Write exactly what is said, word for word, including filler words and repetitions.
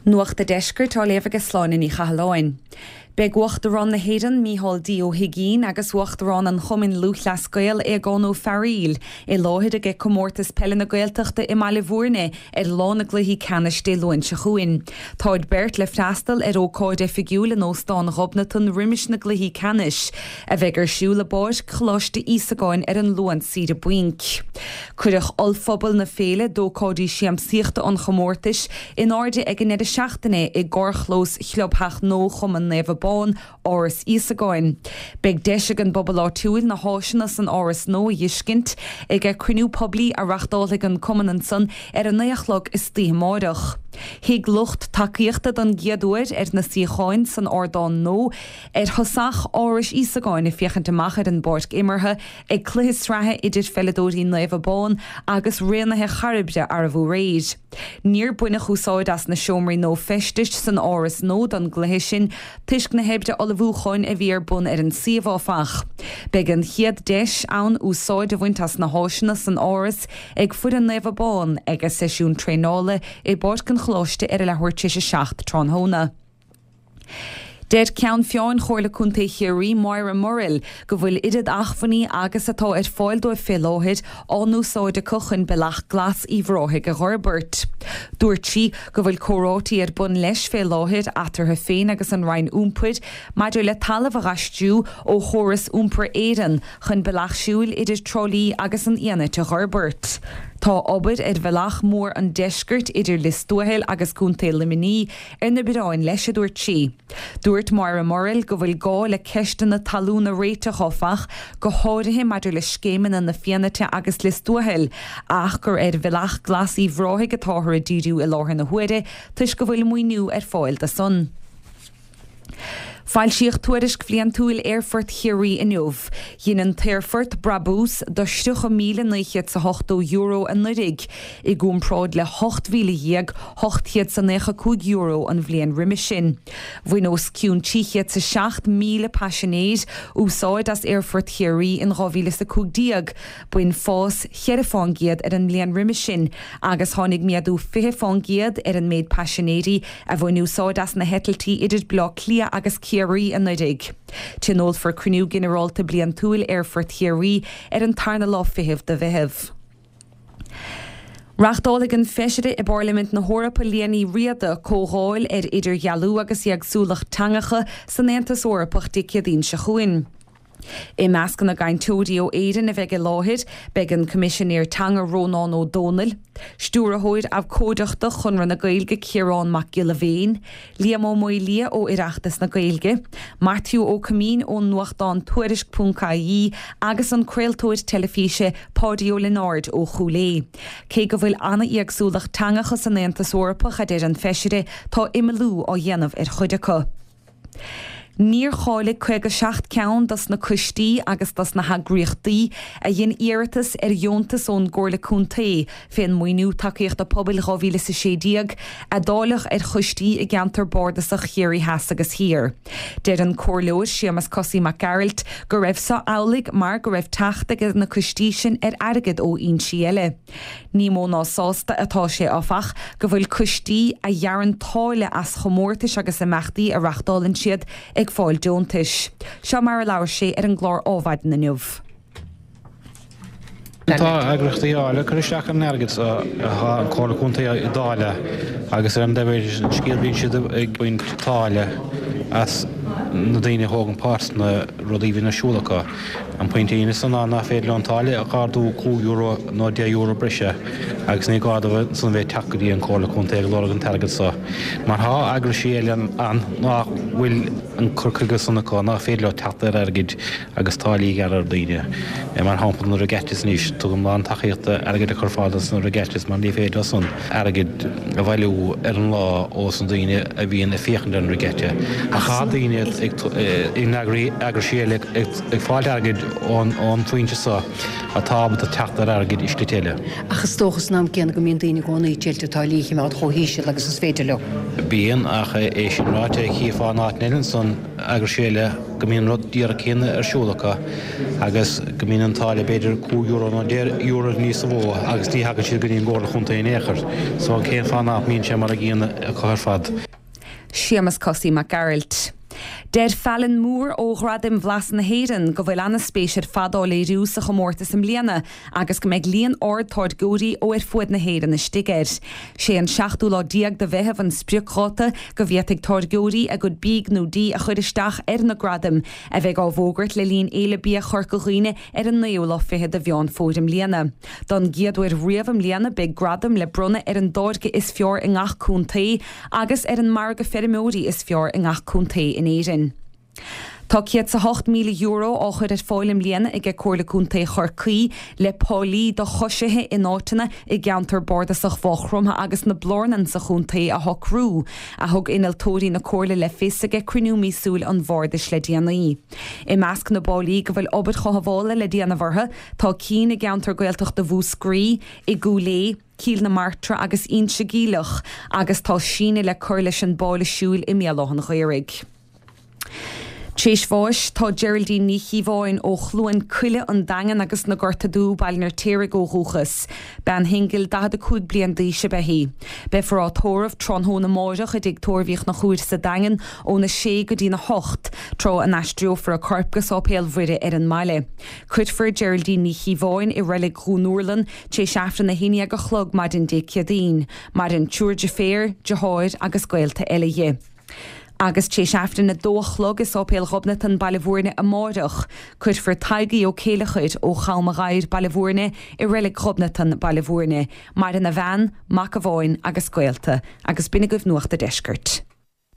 Nuacht an Deiscirt á léamh ag Sláine Ní Chathalláin. Beidh Uachtarán na hÉireann Micheál D. Ó hUigínn agus Uachtarán an Chumainn Lúthchleas Gael Aogán Ó Fearghaíl i láthair ag comórtas peile na Gaeltachta i mBaile Bhúirne ar lá na gcluichí ceannais Dé Luain seo chugainn. Táid beirt le freastal ar ócáid oifigiúil in Óstán Ghobnatan roimis na gcluichí ceannais, a bheidh ar siúl i bPáirc Choláiste Íosagáin ar an Luan saoire bainc. Cuireadh ollphuball na féile d'ócáidí siamsaíochta an chomórtais in airde ag an deireadh seachtaine i gcarrchlós Chlubtheach nua Chumann Naomh Abán Áras Íosagáin. Beidh deis ag an bpobal áitiúil na háiseanna san áras nua a fheiscint ag cruinniú poiblí a reáchtálfaidh an cumann ansan ar a naoi a chlog istoíche amárach. Shuigh lucht tacaíochta don gcéad uair ar na suíocháin san ardán nua ar thosach Áras Íosagáin ag féachaint amach ar an bpáirc imeartha ag cluiche sraithe idir pheileadóirí Naomh Abán agus Raonaithe Chairbre arbh aréir. Níor baineadh úsáid as na seomraí nua feistis san áras nua don gcluiche sin toisc na hoibre ullmhúcháin a bhí ar bun ar an suíomh áfach. Beidh an chéad deis ann úsáid a bhaint as na háiseanna san áras ag foireann Naomh Abán ag a seisiún traenála i bPáirc an Choláiste ar a leathuair tar éis a seacht tráthnóna. Deir Ceann Feadhain Chomhairle Contae Chiarraí Moira Murrell go bhfuil oiread acmhainní agus atá ar fáil dóibh fé láthair á n-úsáid acu chun Bealach Glas Uíbh Ráthaigh a fhorbairt. Dúirt sí go bhfuil comhráití ar bun leis fé láthair eatarthu féin agus an Roinn Iompair maidir le talamh a dh'aistriú ó chóras Iompar Éireann chun bealach siúil idir Trá Lí agus an Fhianait a fhorbairt. Tá obair ar Bhealach Mór an Deiscirt idir Lios Tuathail agus Contae Luimnigh ar na bioráin leis a dúirt sí. Dúirt Moira Murrell go bhfuil gá le ceisteanna talún a réiteach áfach go háirithe maidir le scéimeanna na Fianaite agus Lios Tuathail ach gur ar Bhealach Glas Uíbh Ráthaigh atáthar ag díriú i láthair na huaire toisc go bhfuil maoiniú ar fáil dó san. Foilsíodh tuairisc bhliantúil Aerfort Chiarraí inniu. Dhein an t-aerfort brabús de tríocha míle naoi chéad 's ochtó euro anuraidh, i gcomparáid le hocht mhíle dhéag ocht chéad 's naocha cúig euro an bhliain roimhe sin. Bhain os cionn trí chéad 's seacht míle paisinéir úsáid as Aerfort Chiarraí in dhá mhíle 's a cúig déag, b'in fás cheithre fán gcéad ar an mbliain roimhe sin agus tháinig méadú fiche fán gcéad ar an méid paisinéirí a bhain úsáid as na heitiltí idir Baile Átha Cliath agus Ciarraí anuraidh. Tionólfar cruinniú ginearálta bliantúil Aerfort Chiarraí ar an tarna lá fichead de Mheitheamh. Reáchtálfaidh an feisire i bParlaimint na hEorpa Liadh Ní Riada comhdháil ar idirdhealú agus éagsúlacht teangacha san Aontas Eorpach Dé Céadaoin seo chugainn. I measc na gcainteoirí ó Éirinn a bheidh i láthair, beidh an Coimisinéir Teanga Rónán Ó Domhnaill, Stiúrthóir Abhcóideachta Chonradh na Gaeilge Ciarán Mac Giolla Bhéin, Liam Ó Maolaodha ó Oireachtas na Gaeilge, Maitiú Ó Coimín ón nuachtán Tuairisc ponc ie agus an craoltóir teilifíse Páidí Ó Lionáird ó Chúil Aodha. Cé go bhfuil an-éagsúlacht teangacha san Aontas Eorpach a deir an feisire, tá imeallú á dhéanamh ar chuid acu. Níor cháiligh caoga seacht ceann dos na coistí agus dos na heagraíochtaí a dhein iarratas ar dheontas ón gComhairle Contae fén maoiniú tacaíochta pobail dhá mhíle is a sé déag a dáileadh ar choistí i gceantar bardasach Chiarraí Theas agus Thiar. Deir an Comhairleoir Séamus Cosaí Mac Gearailt go raibh so amhlaidh mar go raibh teacht ag na coistí sin ar airgead ó fhoinsí eile. Ní mó ná sásta atá sé áfach go bhfuil coistí a ghearrann táille as chomórtais agus imeachtaí a reáchtálann siad ag fáil deontais. Seo mar a labhair sé ar an gclár Adhmhaidin inniu. Tá eagraíochtaí áille cur isteach an airgead atá an Comhairle Contae ag dáileadh agus ar an dtaobh eile den scéal bíonn siad ag baint táille as na daoine a thógann páirt sna rudaí a bhíonn ar siúl acu. An pointe a dhéanas ná nach féidir leo an táille a ardú cúig euro nó deich euro breise agus ní gá dóibh san bheith ag teacht go dtí an Comhairle Contae ag lorg an t-airgead so mar tá eagraisí eile ann nach bhfuil an cur chuige san acu nach féidir leo teacht ar airgid agus táillí a ghearradh ar daoine. Mar shampla na regattas anois, tugaim lán tacaíochta airgead a chur ar fáil dos na regattas mar ní féidir leo san airgead a bhailiú ar an lá ós na daoine a bhíonn ag féachaint ar an regatta. Ach tá daoine ag in eagraisí eile ag fáilt airgid ón phointe seo atá ábalta teacht ar airgead i slite eile. Ach is dócha san am céanna go mbíonn daoine i gcónaí ag triail táillí a choimeád chomh híseal agus is féidir leo. Bíonn, ach é sin ráite, chífeá in áit eile ansan eagrais eile go mbíonn rud díreach céanna ar siúl acu agus go mbíonn an táille b'fhéidir cúig euro nó deich euro níos mó agus ní thagann siad go dtí an gComhairle Chontae in aon chor. So cén fáth nach mbíonn sé mar a gcéanna acu ar fad? Séamus Cosaí Mac Gearailt. Deir Fallon Moore ó Ghradaim Bhlas na hÉireann go bhfuil an-spéis ar fad á léiriú sa chomórtas i mbliana agus go mbeidh líon ard táirgeoirí ó ar fuaid na hÉireann istigh air. Sé an seachtú lá déag de Mheitheamh an spriocdháta go bhféadfaidh táirgeoirí a gcuid bídh nó dí a chur isteach ar na gradaim, a bheidh á bhfógairt le linn Fhéile Bia Chorca Dhuibhne ar an naoú lá fichead de Mheán Fómhair i mbliana. Don gcéad uair riamh i mbliana beidh gradam le bronnadh ar an dtáirge is fearr i ngach contae agus ar an margadh feirmeoirí is fearr i ngach contae in Éirinn. Tá céad 's a hocht míle euro á chur ar fáil i mbliana aige Comhairle Contae Chorcaí le páilí do choisithe in áiteanna i gceantar bardasach Mhaigh Chromtha agus na Blárnan sa chontae a shocrú, a thug innealtóirí na Comhairle le fios aige cruinniú míosúil an Bhardais le déanaí. I measc na bpáilí go bhfuil obair chothabhála le déanamh orthu tá cinn i gceantar Gaeltachta Mhúscraí, i gCúil Aodha, Cill na Martra agus Inse Geimhleach agus tá síneadh le cur leis an bpáile siúil i mBéal Átha an Ghaorthaidh. Tréis bháis tá Geraldine Ní Chíobháin ó Chluain Coille an Daingean agus na Gorta Dubh, Baile an Fheirtéaraigh ó dhúchas. Bean shingil daichead a cúig bliain d'aois ab ea í. Beifear á tórramh tráthnóna amáireach i dTigh Tórraimh Uí Chonchúir sa Daingean óna sé go dtína hocht, tráth a n-aistreofar a corp go Sáipéal Mhuire ar an mbaile. Cuirfear Geraldine Ní Chíobháin i Reilig Dhún Úrlann tar éis Aifreann a haon déag a chlog maidin Dé Céadaoin. Maireann triúr deirféar, deartháir agus gaolta eile dhi. Agus tar éis Aifreann a dó a chlog i Sáipéal Ghobnatan, Baile Bhúirne amáireach, cuirfear Tadhg Ó Céileachair ó Cham a' Ghadhair, Baile Bhúirne, i Reilig Ghobnatan, Baile Bhúirne. Maireann a bhean, mac amháin agus gaolta. Agus b'in agaibh Nuacht a' Deiscirt.